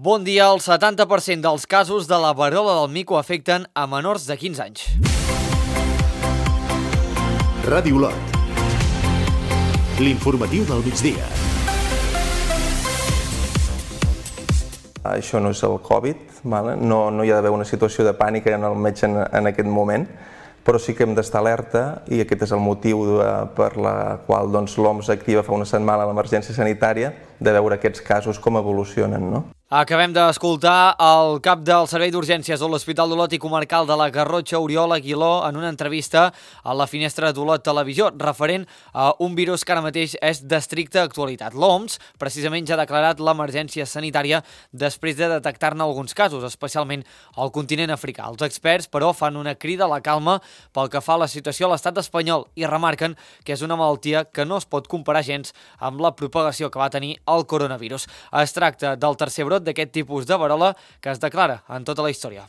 Bon dia. El 70% dels casos de la verola del mico afecten a menors de 15 anys. Ràdio Olot. L'informatiu del migdia. Això no és el Covid, no hi ha d'haver una situació de pànic en el metge en aquest moment, però sí que hem d'estar alerta i aquest és el motiu per la qual l'OMS activa fa una setmana l'emergència sanitària, de veure aquests casos com evolucionen, no? Acabem d'escoltar el cap del Servei d'Urgències de l'Hospital d'Olot i Comarcal de la Garrotxa, Oriol Aguiló, en una entrevista a la Finestra d'Olot Televisió, referent a un virus que ara mateix és d'estricta actualitat. L'OMS, precisament, ja ha declarat l'emergència sanitària després de detectar-ne alguns casos, especialment al continent africà. Els experts, però, fan una crida a la calma pel que fa a la situació a l'estat espanyol i remarquen que és una malaltia que no es pot comparar gens amb la propagació que va tenir el coronavirus. Es tracta del tercer brot d'aquest tipus de verola que es declara en tota la història.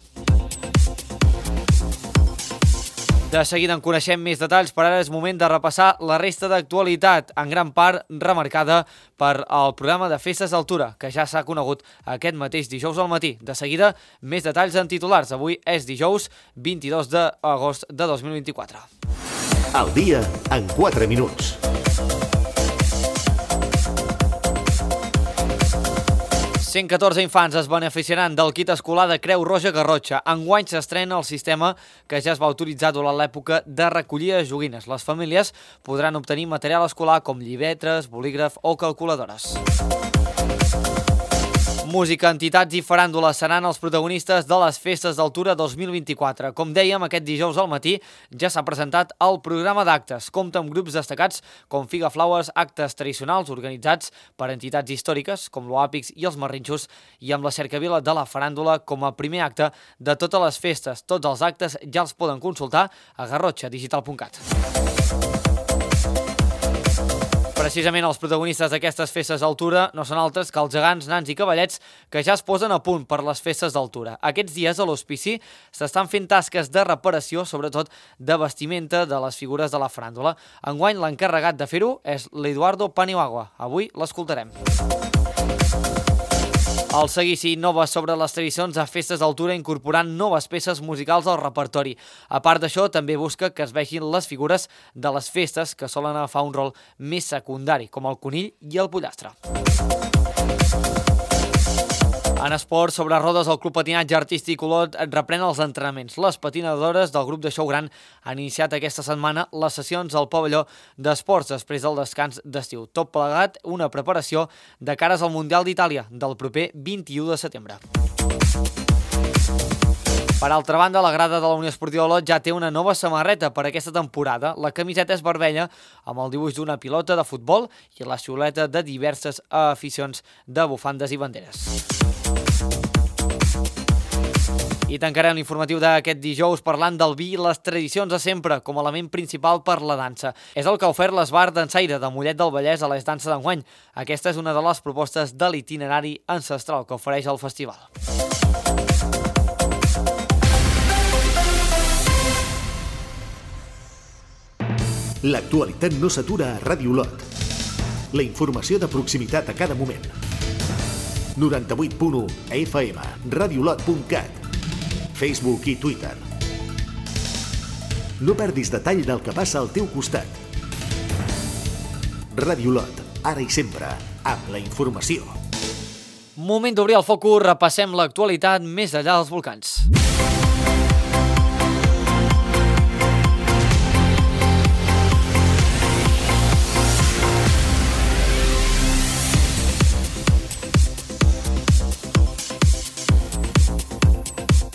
De seguida en coneixem més detalls, però ara és moment de repassar la resta d'actualitat, en gran part remarcada per el programa de Festes d'Altura, que ja s'ha conegut aquest mateix dijous al matí. De seguida, més detalls en titulars. Avui és dijous 22 d'agost de 2024. El dia en 4 minuts. 114 infants es beneficiaran del kit escolar de Creu Roja Garrotxa. Enguany s'estrena el sistema que ja es va utilitzar durant l'època de recollida de joguines. Les famílies podran obtenir material escolar com llibretes, bolígraf o calculadores. Música, entitats i faràndula seran els protagonistes de les Festes d'Altura 2024. Com dèiem, aquest dijous al matí ja s'ha presentat el programa d'actes. Compta amb grups destacats com Figa Flowers, actes tradicionals organitzats per entitats històriques com l'Oàpix i els Marrinxos i amb la cercavila de la faràndula com a primer acte de totes les festes. Tots els actes ja els poden consultar a garrotxadigital.cat. Precisament els protagonistes d'aquestes festes d'altura no són altres que els gegants, nans i cavallets que ja es posen a punt per les festes d'altura. Aquests dies a l'hospici s'estan fent tasques de reparació, sobretot de vestimenta de les figures de la faràndula. Enguany l'encarregat de fer-ho és l'Eduardo Paniagua. Avui l'escoltarem. El seguici innova sobre les tradicions a festes d'altura incorporant noves peces musicals al repertori. A part d'això, també busca que es vegin les figures de les festes que solen agafar un rol més secundari, com el conill i el pollastre. En esport, sobre rodes, el Club Patinatge Artístic Olot reprèn els entrenaments. Les patinadores del grup de Xou Gran han iniciat aquesta setmana les sessions al pavelló d'esports després del descans d'estiu. Tot plegat, una preparació de cares al Mundial d'Itàlia del proper 21 de setembre. Per altra banda, la grada de la Unió Esportiva Olot ja té una nova samarreta per aquesta temporada. La camiseta és vermella amb el dibuix d'una pilota de futbol i la xiuleta de diverses aficions de bufandes i banderes. I tancarem l'informatiu d'aquest dijous parlant del vi i les tradicions de sempre com a element principal per la dansa. És el que ha ofert l'Esbar Dansaire de Mollet del Vallès a les danses d'enguany. Aquesta és una de les propostes de l'itinerari ancestral que ofereix el festival. L'actualitat no s'atura a Ràdio Olot. La informació de proximitat a cada moment. 98.1 FM, radioolot.cat, Facebook i Twitter. No perdis detall del que passa al teu costat. Ràdio Olot, ara i sempre, amb la informació. Moment d'obrir el focus, repassem l'actualitat més enllà dels volcans.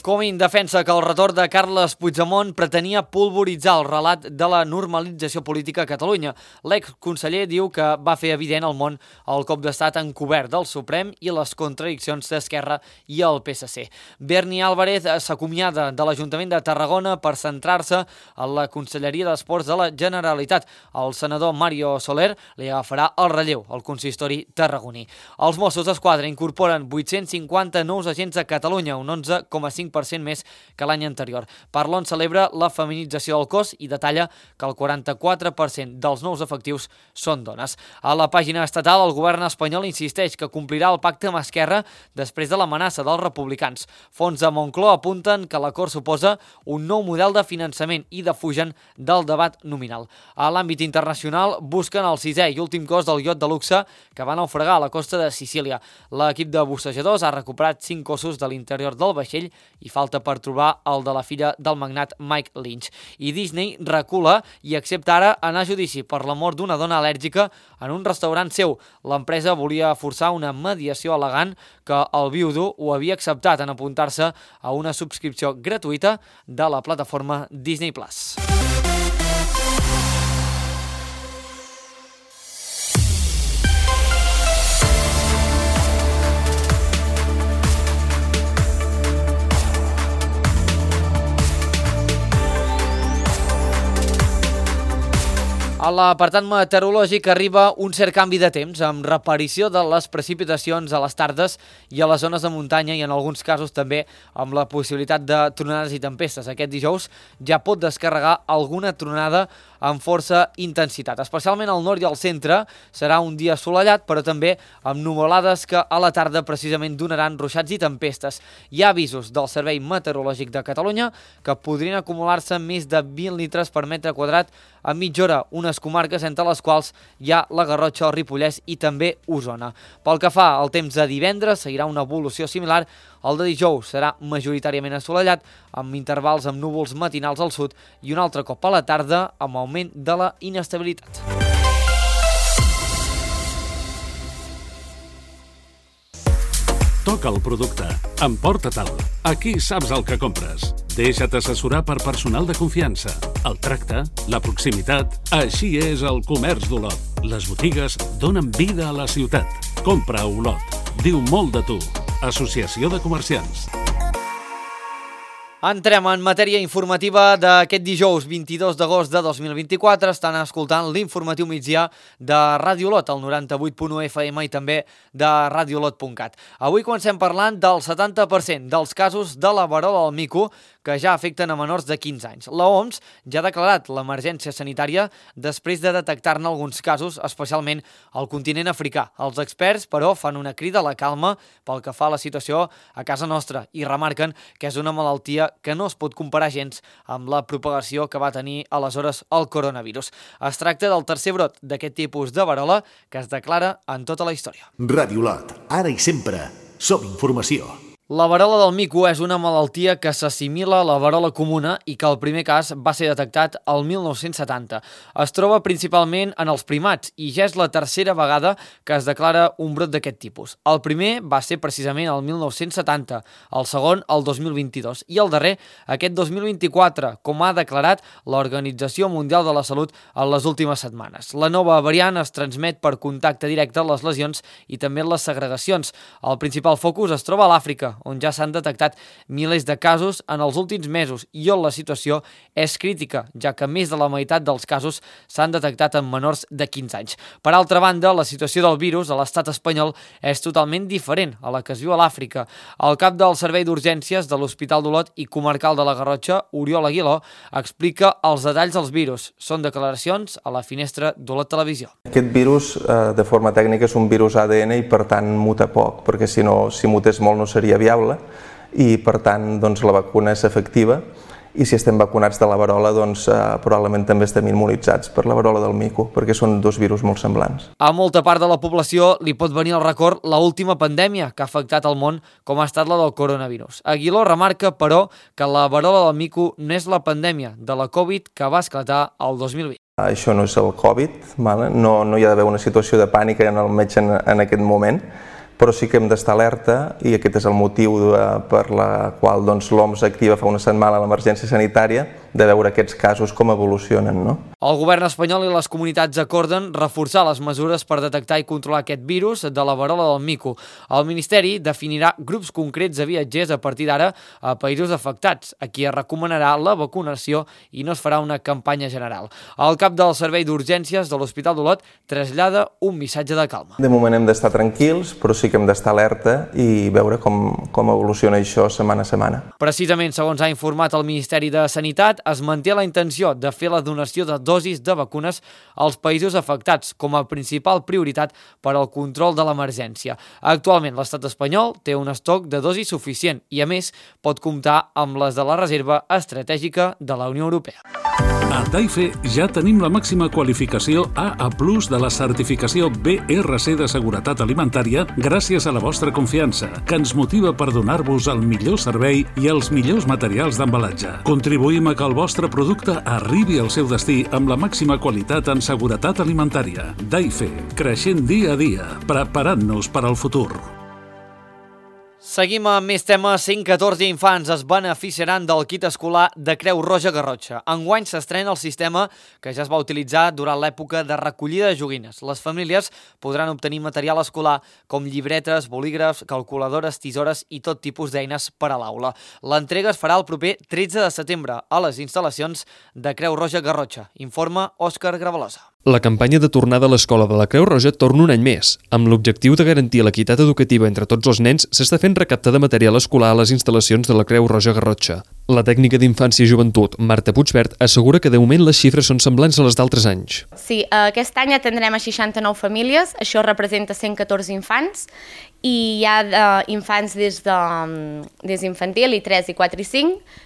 Comín defensa que el retorn de Carles Puigdemont pretenia polvoritzar el relat de la normalització política a Catalunya. L'exconseller diu que va fer evident al món el cop d'estat encobert del Suprem i les contradiccions d'Esquerra i el PSC. Berni Álvarez s'acomiada de l'Ajuntament de Tarragona per centrar-se en la Conselleria d'Esports de la Generalitat. El senador Mario Soler li agafarà el relleu al consistori tarragoní. Els Mossos d'Esquadra incorporen 850 nous agents a Catalunya, un 11,5% 20% més que l'any anterior. Parlon celebra la feminització del cos i detalla que el 44% dels nous efectius són dones. A la pàgina estatal, el govern espanyol insisteix que complirà el pacte amb Esquerra després de l'amenaça dels republicans. Fons de Moncloa apunten que l'acord suposa un nou model de finançament i defugen del debat nominal. A l'àmbit internacional, busquen el 6è i últim cos del iot de luxe que va naufragar a la costa de Sicília. L'equip de bussejadors ha recuperat 5 cossos de l'interior del vaixell i falta per trobar el de la filla del magnat Mike Lynch. I Disney recula i accepta ara anar a judici per la mort d'una dona al·lèrgica en un restaurant seu. L'empresa volia forçar una mediació al·legant que el viudo ho havia acceptat en apuntar-se a una subscripció gratuïta de la plataforma Disney+. A l'apartat meteorològic arriba un cert canvi de temps, amb reaparició de les precipitacions a les tardes i a les zones de muntanya i en alguns casos també amb la possibilitat de tronades i tempestes. Aquest dijous ja pot descarregar alguna tronada amb força intensitat. Especialment al nord i al centre serà un dia assolellat, però també amb nuvolades que a la tarda precisament donaran ruixats i tempestes. Hi ha avisos del Servei Meteorològic de Catalunya que podrien acumular-se més de 20 litres per metre quadrat a mitja hora, unes comarques entre les quals hi ha la Garrotxa, el Ripollès i també Osona. Pel que fa al temps de divendres, seguirà una evolució similar. El de dijous serà majoritàriament assolellat, amb intervals amb núvols matinals al sud i un altre cop a la tarda amb augment de la inestabilitat. Toca el producte. Emporta-te'l. Aquí saps el que compres. Deixa't assessorar per personal de confiança. El tracte, la proximitat... Així és el comerç d'Olot. Les botigues donen vida a la ciutat. Compra a Olot. Diu molt de tu. Associació de Comerciants. Entrem en matèria informativa d'aquest dijous 22 d'agost de 2024. Estan escoltant l'informatiu migdia de Ràdio Olot, el 98.1 FM i també de radioolot.cat. Avui comencem parlant del 70% dels casos de la verola del mico que ja afecten a menors de 15 anys. L'OMS ja ha declarat l'emergència sanitària després de detectar-ne alguns casos, especialment al continent africà. Els experts, però, fan una crida a la calma pel que fa a la situació a casa nostra i remarquen que és una malaltia que no es pot comparar gens amb la propagació que va tenir aleshores el coronavirus. Es tracta del tercer brot d'aquest tipus de verola que es declara en tota la història. Ràdio Olot, ara i sempre, som informació. La verola del mico és una malaltia que s'assimila a la verola comuna i que el primer cas va ser detectat el 1970. Es troba principalment en els primats i ja és la tercera vegada que es declara un brot d'aquest tipus. El primer va ser precisament el 1970, el segon el 2022 i el darrer aquest 2024, com ha declarat l'Organització Mundial de la Salut en les últimes setmanes. La nova variant es transmet per contacte directe a les lesions i també en les segregacions. El principal focus es troba a l'Àfrica, on ja s'han detectat milers de casos en els últims mesos i on la situació és crítica, ja que més de la meitat dels casos s'han detectat en menors de 15 anys. Per altra banda, la situació del virus a l'estat espanyol és totalment diferent a la que es viu a l'Àfrica. El cap del Servei d'Urgències de l'Hospital d'Olot i Comarcal de la Garrotxa, Oriol Aguiló, explica els detalls dels virus. Són declaracions a la finestra d'Olot Televisió. Aquest virus, de forma tècnica, és un virus ADN i per tant muta poc, perquè si mutés molt no seria viable i per tant la vacuna és efectiva i si estem vacunats de la verola probablement també estem immunitzats per la verola del mico perquè són dos virus molt semblants. A molta part de la població li pot venir al record l'última pandèmia que ha afectat el món com ha estat la del coronavirus. Aguiló remarca, però, que la verola del mico no és la pandèmia de la Covid que va esclatar el 2020. Això no és el Covid, no hi ha d'haver una situació de pànic en el metge en aquest moment, però sí que hem d'estar alerta i aquest és el motiu per la qual l'OMS activa fa una setmana l'emergència sanitària veure aquests casos com evolucionen, no? El govern espanyol i les comunitats acorden reforçar les mesures per detectar i controlar aquest virus de la verola del mico. El Ministeri definirà grups concrets de viatgers a partir d'ara a països afectats, a qui es recomanarà la vacunació i no es farà una campanya general. El cap del Servei d'Urgències de l'Hospital d'Olot trasllada un missatge de calma. De moment hem d'estar tranquils, però sí que hem d'estar alerta i veure com evoluciona això setmana a setmana. Precisament, segons ha informat el Ministeri de Sanitat, es manté la intenció de fer la donació de dosis de vacunes als països afectats com a principal prioritat per al control de l'emergència. Actualment, l'estat espanyol té un estoc de dosis suficient i, a més, pot comptar amb les de la Reserva Estratègica de la Unió Europea. A Daife ja tenim la màxima qualificació AA+ de la certificació BRC de seguretat alimentària gràcies a la vostra confiança, que ens motiva per donar-vos el millor servei i els millors materials d'embalatge. Contribuïm a que el vostre producte arribi al seu destí amb la màxima qualitat en seguretat alimentària. Daife, creixent dia a dia, preparant-nos per al futur. Seguim amb més temes. 114 infants es beneficiaran del kit escolar de Creu Roja Garrotxa. Enguany s'estrena el sistema que ja es va utilitzar durant l'època de recollida de joguines. Les famílies podran obtenir material escolar com llibretes, bolígrafs, calculadores, tisores i tot tipus d'eines per a l'aula. L'entrega es farà el proper 13 de setembre a les instal·lacions de Creu Roja Garrotxa. Informa Òscar Gravalosa. La campanya de tornada a l'escola de la Creu Roja torna un any més. Amb l'objectiu de garantir l'equitat educativa entre tots els nens, s'està fent recaptar de material escolar a les instal·lacions de la Creu Roja Garrotxa. La tècnica d'Infància i Joventut, Marta Puigvert, assegura que de moment les xifres són semblants a les d'altres anys. Sí, aquest any atendrem a 69 famílies, això representa 114 infants, i hi ha infants des d'infantil, i 3, i 4, i 5,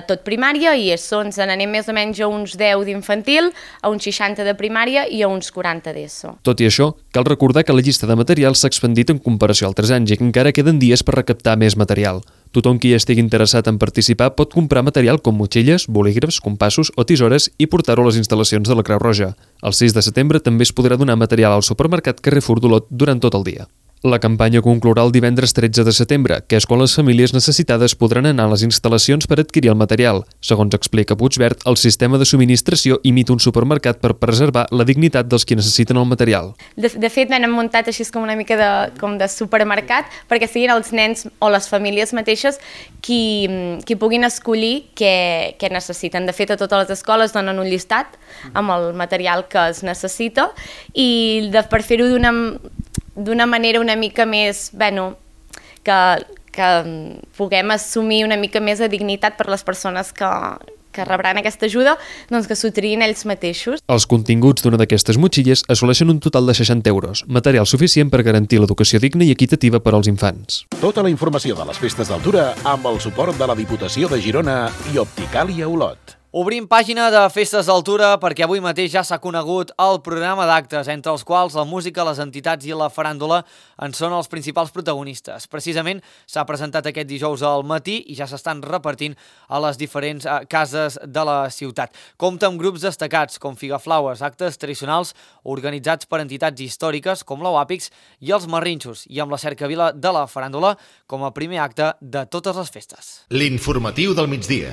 tot primària, i ens n'anem més o menys a uns 10 d'infantil, a uns 60 de primària i a uns 40 d'ESO. Tot i això, cal recordar que la llista de materials s'ha expandit en comparació a altres anys i que encara queden dies per recaptar més material. Tothom qui estigui interessat en participar pot comprar material com motxilles, bolígrafs, compassos o tisores i portar-ho a les instal·lacions de la Creu Roja. El 6 de setembre també es podrà donar material al supermercat Carrefour d'Olot durant tot el dia. La campanya conclourà el divendres 13 de setembre, que és quan les famílies necessitades podran anar a les instal·lacions per adquirir el material. Segons explica Puigvert, el sistema de subministració imita un supermercat per preservar la dignitat dels qui necessiten el material. De fet, l'hem muntat així com una mica de supermercat perquè siguin els nens o les famílies mateixes qui puguin escollir què necessiten. De fet, a totes les escoles donen un llistat amb el material que es necessita i per fer-ho d'una manera una mica més, que puguem assumir una mica més de dignitat per les persones que rebran aquesta ajuda, doncs que s'ho triïn ells mateixos. Els continguts d'una d'aquestes motxilles assoleixen un total de 60 €, material suficient per garantir l'educació digna i equitativa per als infants. Tota la informació de les festes d'altura amb el suport de la Diputació de Girona i Opticàlia Olot. Obrim pàgina de Festes d'Altura perquè avui mateix ja s'ha conegut el programa d'actes, entre els quals la música, les entitats i la faràndula en són els principals protagonistes. Precisament s'ha presentat aquest dijous al matí i ja s'estan repartint a les diferents cases de la ciutat. Compta amb grups destacats com Figaflaues, actes tradicionals organitzats per entitats històriques com l'Oàpix i els Marrinxos, i amb la cercavila de la faràndula com a primer acte de totes les festes. L'informatiu del migdia.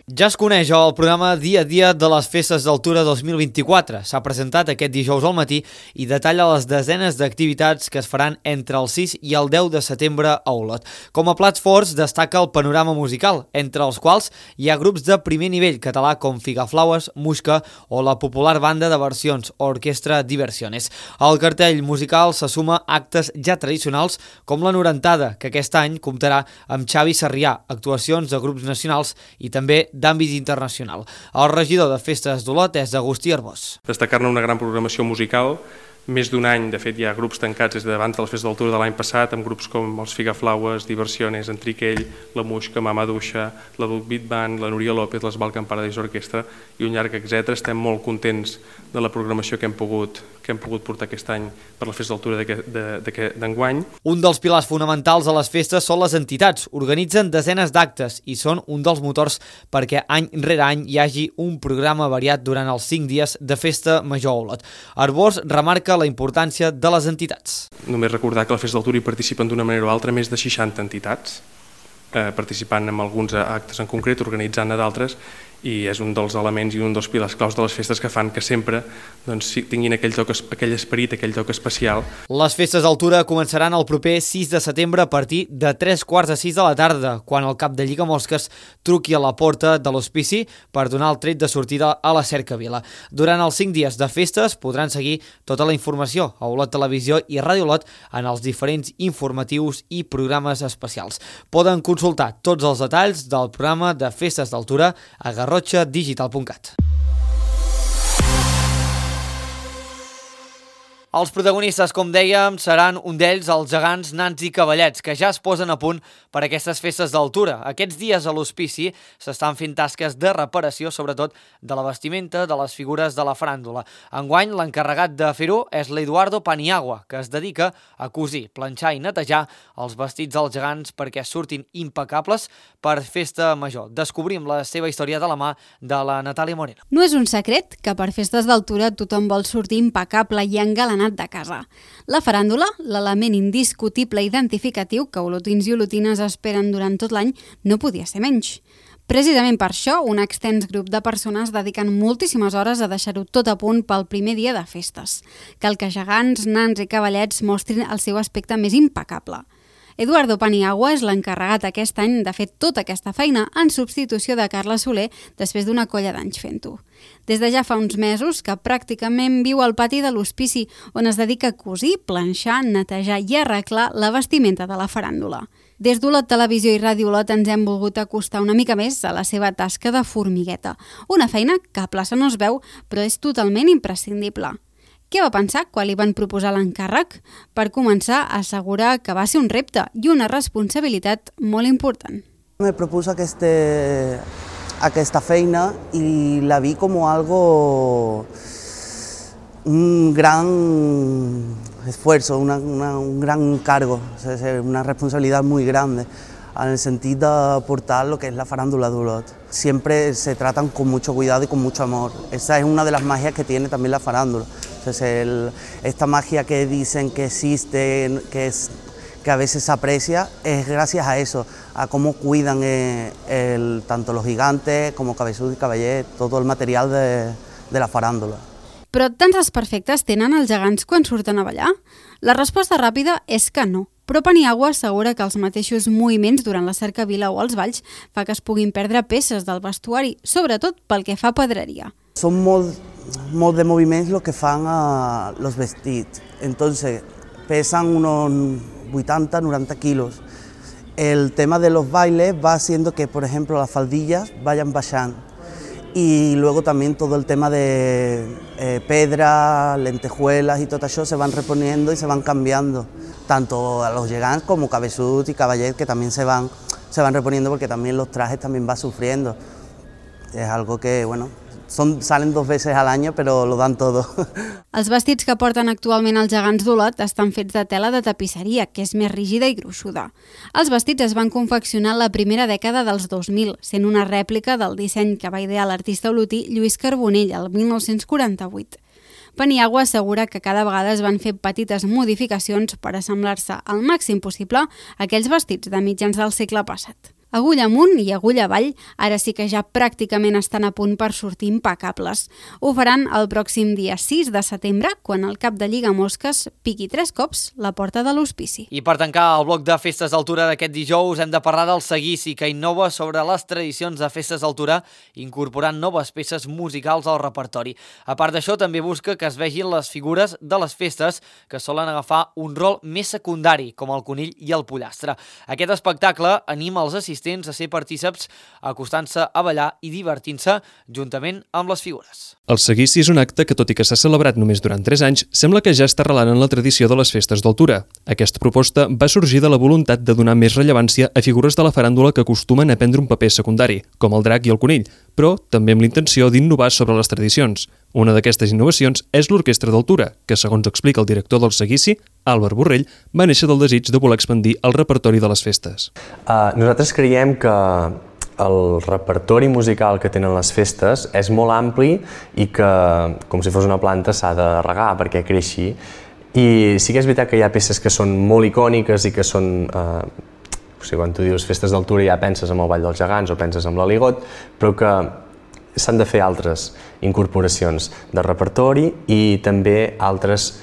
Ja es coneix el programa dia a dia de les Festes d'Altura 2024. S'ha presentat aquest dijous al matí i detalla les desenes d'activitats que es faran entre el 6 i el 10 de setembre a Olot. Com a plats forts destaca el panorama musical, entre els quals hi ha grups de primer nivell català com Figaflaues, Muixca o la popular banda de versions Orquestra Diversiones. Al cartell musical se suma actes ja tradicionals com la Norentada, que aquest any comptarà amb Xavi Sarrià, actuacions de grups nacionals i també d'àmbit internacional. El regidor de Festes d'Olot és Agustí Arbós. Destacar-ne una gran programació musical, més d'un any, de fet hi ha grups tancats des d'abans de les Festes d'Altura de l'any passat, amb grups com els Figaflaues, Diversiones, Entriquell, la Muixca, Mama Duixa, la Duc Beat Band, la Núria López, les Balkan Paradise Orquestra i un llarg etc. Estem molt contents de la programació que hem pogut portar aquest any per la Festa d'Altura d'enguany. Un dels pilars fonamentals de les festes són les entitats. Organitzen desenes d'actes i són un dels motors perquè any rere any hi hagi un programa variat durant els 5 dies de Festa Major a Olot. Arbós remarca la importància de les entitats. Només recordar que a la Festa d'Altura hi participen d'una manera o altra més de 60 entitats, participant en alguns actes en concret, organitzant-ne d'altres, i és un dels elements i un dels pilars claus de les festes que fan que sempre tinguin aquell esperit, aquell toc especial. Les festes d'altura començaran el proper 6 de setembre a partir de 3:45 de la tarda, quan el cap de Lligamosques truqui a la porta de l'hospici per donar el tret de sortida a la cercavila. Durant els 5 dies de festes podran seguir tota la informació a Olot Televisió i Ràdio Olot en els diferents informatius i programes especials. Poden consultar tots els detalls del programa de festes d'altura a garrotxadigital.cat. Els protagonistes, com dèiem, seran un d'ells els gegants, nans i cavallets, que ja es posen a punt per a aquestes festes d'altura. Aquests dies a l'hospici s'estan fent tasques de reparació, sobretot de la vestimenta de les figures de la faràndula. Enguany, l'encarregat de fer-ho és l'Eduardo Paniagua, que es dedica a cosir, planxar i netejar els vestits dels gegants perquè surtin impecables per festa major. Descobrim la seva història de la mà de la Natàlia Moreno. No és un secret que per festes d'altura tothom vol sortir impecable i engalanat de casa. La faràndula, l'element indiscutible i identificatiu que olotins i olotines esperen durant tot l'any, no podia ser menys. Precisament per això, un extens grup de persones dediquen moltíssimes hores a deixar-ho tot a punt pel primer dia de festes. Cal que gegants, nans i cavallets mostrin el seu aspecte més impecable. Eduardo Paniagua és l'encarregat aquest any de fer tota aquesta feina en substitució de Carla Soler després d'una colla d'anys fent-ho. Des de ja fa uns mesos que pràcticament viu al pati de l'hospici, on es dedica a cosir, planxar, netejar i arreglar la vestimenta de la faràndula. Des d'Olot Televisió i Ràdio Olot ens hem volgut acostar una mica més a la seva tasca de formigueta, una feina que a plaça no es veu, però és totalment imprescindible. Què va pensar quan li van proposar l'encàrrec? Per començar, assegurar que va ser un repte i una responsabilitat molt important. Me propuso aquesta feina i la vi com algo, un gran esfuerzo, un gran cargo, una responsabilidad muy grande, en el sentido de aportar lo que es la farándula de Olot. Siempre se tratan con mucho cuidado y con mucho amor. Esa es una de las magias que tiene también la farándula. Entonces, esta magia que dicen que existe, que a veces se aprecia, es gracias a eso, a cómo cuidan tanto los gigantes como Cabeçut i Cavallet, todo el material de la farándula. Però tants desperfectes tenen els gegants quan surten a ballar? La resposta ràpida és que no. Però Paniagua assegura que els mateixos moviments durant la cercavila o els balls fa que es puguin perdre peces del vestuari, sobretot pel que fa a pedreria. Són molt de moviments lo que fan a los vestits. Entonces, pesan unos 80-90 kilos. El tema de los bailes va haciendo que, por ejemplo, las faldillas vayan bajando. Y luego también todo el tema de pedra, lentejuelas y todo eso se van reponiendo y se van cambiando. Tanto a los gegants como Cabeçut y Cavallet, que también se van reponiendo porque también los trajes también van sufriendo. Es algo que, bueno, salen 2 veces al año, però lo dan todo. Els vestits que porten actualment els gegants d'Olot estan fets de tela de tapisseria, que és més rígida i gruixuda. Els vestits es van confeccionar la primera dècada dels 2000, sent una rèplica del disseny que va idear l'artista olotí Lluís Carbonell el 1948. Paniagua assegura que cada vegada es van fer petites modificacions per assemblar-se al màxim possible a aquells vestits de mitjans del segle passat. Agulla amunt i agulla avall, ara sí que ja pràcticament estan a punt per sortir impecables. Ho faran el pròxim dia 6 de setembre, quan el cap de Lligamosques piqui 3 cops la porta de l'hospici. I per tancar el bloc de festes d'altura d'aquest dijous hem de parlar del seguici, que innova sobre les tradicions de festes d'altura, incorporant noves peces musicals al repertori. A part d'això, també busca que es vegin les figures de les festes, que solen agafar un rol més secundari, com el conill i el pollastre. Aquest espectacle anima els assistents a ser partíceps, acostant-se a ballar i divertint-se juntament amb les figures. El seguici és un acte que, tot i que s'ha celebrat només durant 3 anys, sembla que ja està arrelant en la tradició de les festes d'altura. Aquesta proposta va sorgir de la voluntat de donar més rellevància a figures de la faràndula que acostumen a prendre un paper secundari, com el drac i el conill, però també amb l'intenció d'innovar sobre les tradicions. Una d'aquestes innovacions és l'Orquestra d'Altura, que, segons explica el director del seguici, Àlvar Borrell, va néixer del desig de voler expandir el repertori de les festes. Nosaltres creiem que el repertori musical que tenen les festes és molt ampli i que, com si fos una planta, s'ha de regar perquè creixi. I sí que és veritat que hi ha peces que són molt icòniques i que són... quan tu dius festes d'altura ja penses en el Ball dels Gegants o penses en l'Aligot, però que s'han de fer altres incorporacions de repertori i també altres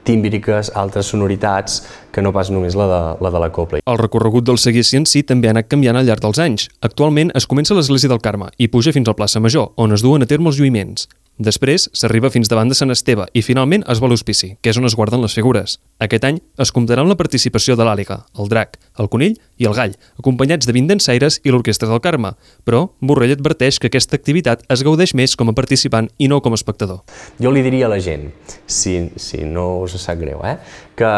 tímbriques, altres sonoritats, que no pas només la de la cobla. El recorregut del seguici en si també ha anat canviant al llarg dels anys. Actualment es comença a l'església del Carme i puja fins al plaça Major, on es duen a terme els lluïments. Després s'arriba fins davant de Sant Esteve i finalment es va a l'hospici, que és on es guarden les figures. Aquest any es comptarà amb la participació de l'Àliga, el Drac, el Conill i el Gall, acompanyats de 20 dansaires i l'Orquestra del Carme. Però Borrell adverteix que aquesta activitat es gaudeix més com a participant i no com a espectador. Jo li diria a la gent, si no us sap greu, que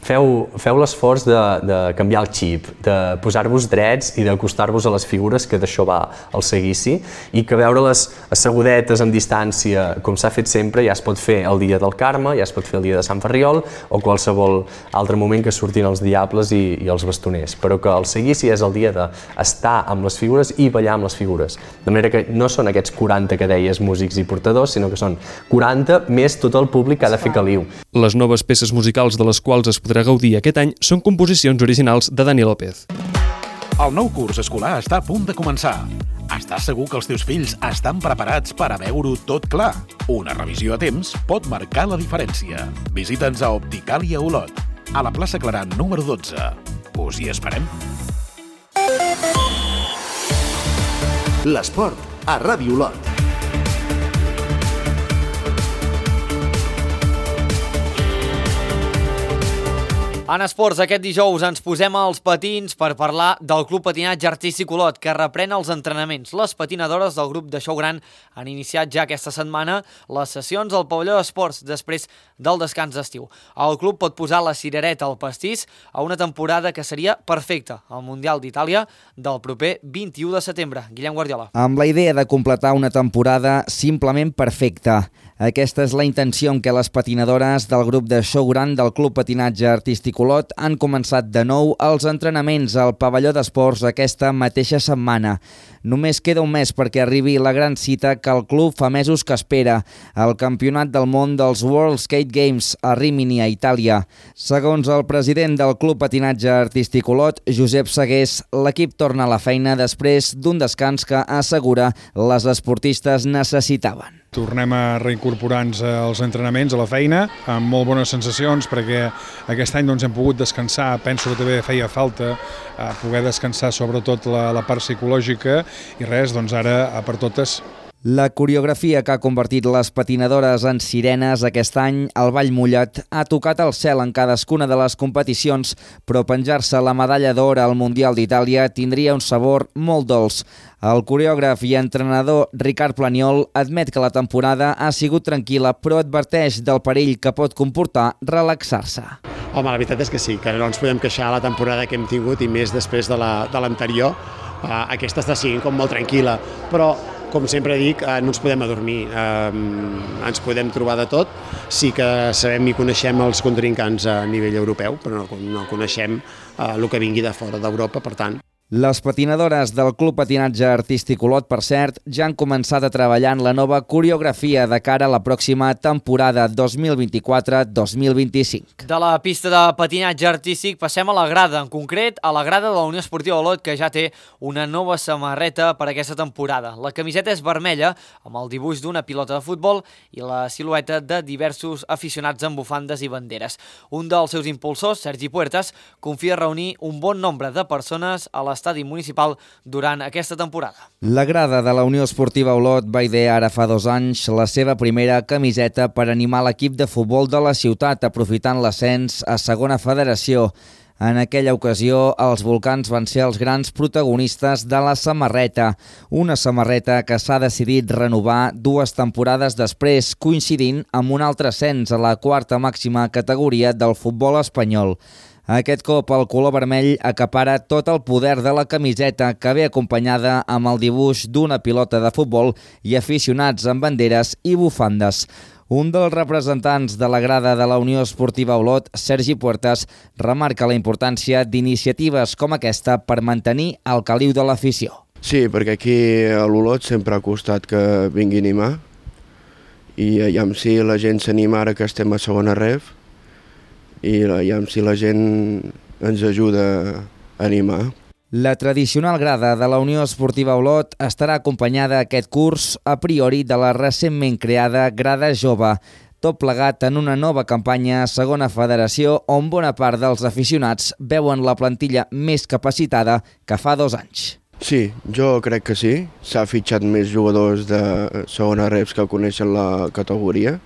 feu l'esforç de canviar el xip, de posar-vos drets i d'acostar-vos a les figures, que d'això va el seguici, i que veure-les assegudetes amb distància, com s'ha fet sempre, ja es pot fer el dia del Carme, ja es pot fer el dia de Sant Ferriol o qualsevol altre moment que surtin els diables i els bastoners, però que el seguici és el dia d'estar amb les figures i ballar amb les figures. De manera que no són aquests 40 que deies músics i portadors, sinó que són 40 més tot el públic que ha de fer caliu. Les noves peces musicals de les quals es podrà gaudir aquest any són composicions originals de Dani López. El nou curs escolar està a punt de començar. Estàs segur que els teus fills estan preparats per a veure-ho tot clar? Una revisió a temps pot marcar la diferència. Visita'ns a Opticàlia Olot, a la plaça Clarà número 12. Us hi esperem. L'esport a Ràdio Olot. En esports, aquest dijous ens posem als patins per parlar del Club Patinatge Artístic Olot, que reprèn els entrenaments. Les patinadores del grup de Show Gran han iniciat ja aquesta setmana les sessions al pavelló d'esports després del descans d'estiu. El club pot posar la cirereta al pastís a una temporada que seria perfecta al Mundial d'Itàlia del proper 21 de setembre. Guillem Guardiola. Amb la idea de completar una temporada simplement perfecta. Aquesta és la intenció amb què les patinadores del grup de Show Gran del Club Patinatge Artístic Olot han començat de nou els entrenaments al pavelló d'esports aquesta mateixa setmana. Només queda un mes perquè arribi la gran cita que el club fa mesos que espera, el Campionat del Món dels World Skate Games a Rimini, a Itàlia. Segons el president del Club Patinatge Artístic Olot, Josep Segués, l'equip torna a la feina després d'un descans que assegura les esportistes necessitaven. Tornem a reincorporar-nos als entrenaments, a la feina, amb molt bones sensacions, perquè aquest any hem pogut descansar. Penso que també feia falta poder descansar sobretot la part psicològica i res, ara per totes. La coreografia que ha convertit les patinadores en sirenes aquest any, el Ball Mullat, ha tocat el cel en cadascuna de les competicions, però penjar-se la medalla d'or al Mundial d'Itàlia tindria un sabor molt dolç. El coreògraf i entrenador Ricard Planiol admet que la temporada ha sigut tranquil·la, però adverteix del perill que pot comportar relaxar-se. Home, la veritat és que sí, que no ens podem queixar la temporada que hem tingut i més després de l'anterior. Aquesta està sent com molt tranquil·la, però com sempre dic, no ens podem adormir, ens podem trobar de tot. Sí que sabem i coneixem els contrincants a nivell europeu, però no coneixem el que vingui de fora d'Europa, per tant. Les patinadores del Club Patinatge Artístic Olot, per cert, ja han començat a treballar en la nova coreografia de cara a la pròxima temporada 2024-2025. De la pista de patinatge artístic passem a la grada, en concret a la grada de la Unió Esportiva Olot, que ja té una nova samarreta per aquesta temporada. La camiseta és vermella, amb el dibuix d'una pilota de futbol i la silueta de diversos aficionats amb bufandes i banderes. Un dels seus impulsors, Sergi Puertas, confia reunir un bon nombre de persones a l'estadi municipal durant aquesta temporada. La grada de la Unió Esportiva Olot va idear ara fa 2 anys la seva primera camiseta per animar l'equip de futbol de la ciutat, aprofitant l'ascens a segona federació. En aquella ocasió, els volcans van ser els grans protagonistes de la samarreta, una samarreta que s'ha decidit renovar 2 temporades després, coincidint amb un altre ascens a la 4a màxima categoria del futbol espanyol. Aquest cop el color vermell acapara tot el poder de la camiseta, que ve acompanyada amb el dibuix d'una pilota de futbol i aficionats amb banderes i bufandes. Un dels representants de la grada de la Unió Esportiva Olot, Sergi Puertas, remarca la importància d'iniciatives com aquesta per mantenir el caliu de l'afició. Sí, perquè aquí a l'Olot sempre ha costat que vingui a animar i aviam si la gent s'anima ara que estem a segona ref i aviam si la gent ens ajuda a animar. La tradicional grada de la Unió Esportiva Olot estarà acompanyada aquest curs a priori de la recentment creada Grada Jove, tot plegat en una nova campanya a segona federació on bona part dels aficionats veuen la plantilla més capacitada que fa 2 anys. Sí, jo crec que sí. S'ha fitxat més jugadors de segona reps que coneixen la categoria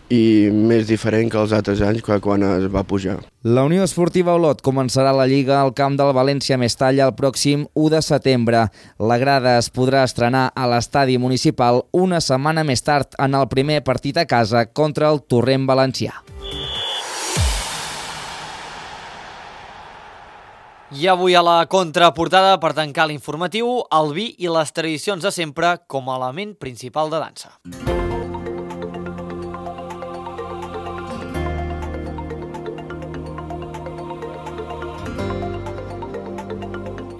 i més diferent que els altres anys quan es va pujar. La Unió Esportiva Olot començarà la Lliga al camp del València Mestalla el pròxim 1 de setembre. La grada es podrà estrenar a l'estadi municipal una setmana més tard en el primer partit a casa contra el Torrent Valencià. I avui a la contraportada, per tancar l'informatiu, el vi i les tradicions de sempre com a element principal de dansa.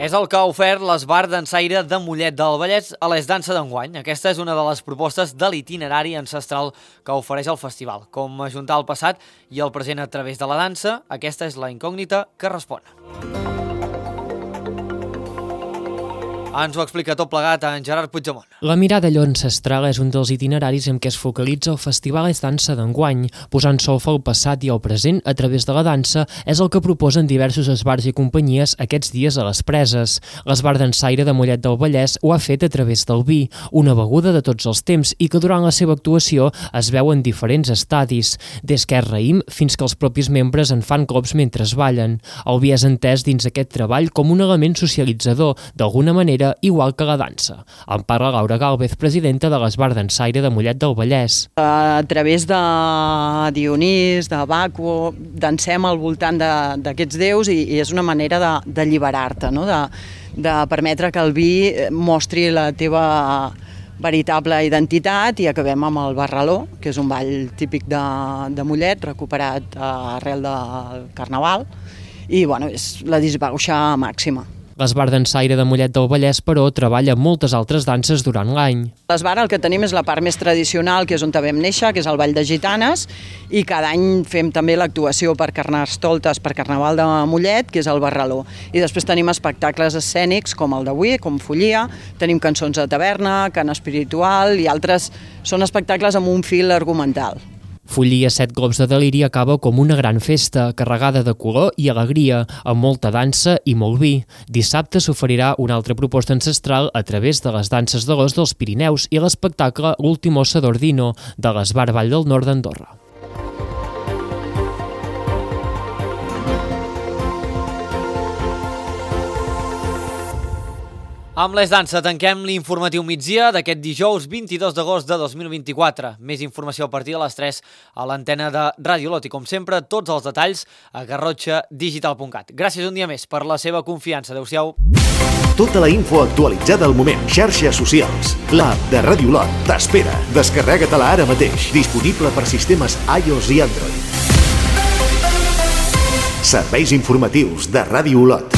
És el que ha ofert l'Esbar Dansaire de Mollet del Vallès a l'Es Dansa d'enguany. Aquesta és una de les propostes de l'itinerari ancestral que ofereix el festival. Com ajuntar el passat i el present a través de la dansa, aquesta és la incògnita que respon. Ens ho explica tot plegat en Gerard Puigdemont. La mirada allò ancestral és un dels itineraris en què es focalitza el Festival Es Dansa d'enguany. Posant solfa al passat i al present a través de la dansa és el que proposen diversos esbars i companyies aquests dies a les Preses. L'Esbar Dansaire de Mollet del Vallès ho ha fet a través del vi, una beguda de tots els temps i que durant la seva actuació es veu en diferents estadis, des que és raïm fins que els propis membres en fan cops mentre ballen. El vi és entès dins aquest treball com un element socialitzador, d'alguna manera igual que la dansa. En parla Laura Gálvez, presidenta de l'Esbar Dansaire de Mollet del Vallès. A través de Dionís, de Baco, dansem al voltant d'aquests déus i és una manera d'alliberar-te, no? De permetre que el vi mostri la teva veritable identitat i acabem amb el barraló, que és un ball típic de Mollet, recuperat arrel del Carnaval, i bueno, és la disbauxa màxima. L'Esbar Dansaire de Mollet del Vallès, però, treballa moltes altres danses durant l'any. L'Esbar el que tenim és la part més tradicional, que és on vam néixer, que és el Ball de Gitanes, i cada any fem també l'actuació per Carnestoltes, per Carnaval de Mollet, que és el Barraló. I després tenim espectacles escènics, com el d'avui, com Follia, tenim cançons de taverna, cant espiritual, i altres són espectacles amb un fil argumental. Follia 7 globs de deliri acaba com una gran festa, carregada de color i alegria, amb molta dansa i molt vi. Dissabte s'oferirà una altra proposta ancestral a través de les danses de l'os dels Pirineus i l'espectacle L'últim ossa d'Ordino, de l'Esbar Vall del Nord d'Andorra. Amb l'Es Dansa tanquem l'informatiu migdia d'aquest dijous 22 d'agost de 2024. Més informació a partir de les 3 a l'antena de Ràdio Olot i, com sempre, tots els detalls a garrotxadigital.cat. Gràcies un dia més per la seva confiança. Adéu-siau. Tota la info actualitzada al moment. Xarxes socials. L'app de Ràdio Olot t'espera. Descarrega-te-la ara mateix. Disponible per sistemes iOS i Android. Serveis informatius de Ràdio Olot.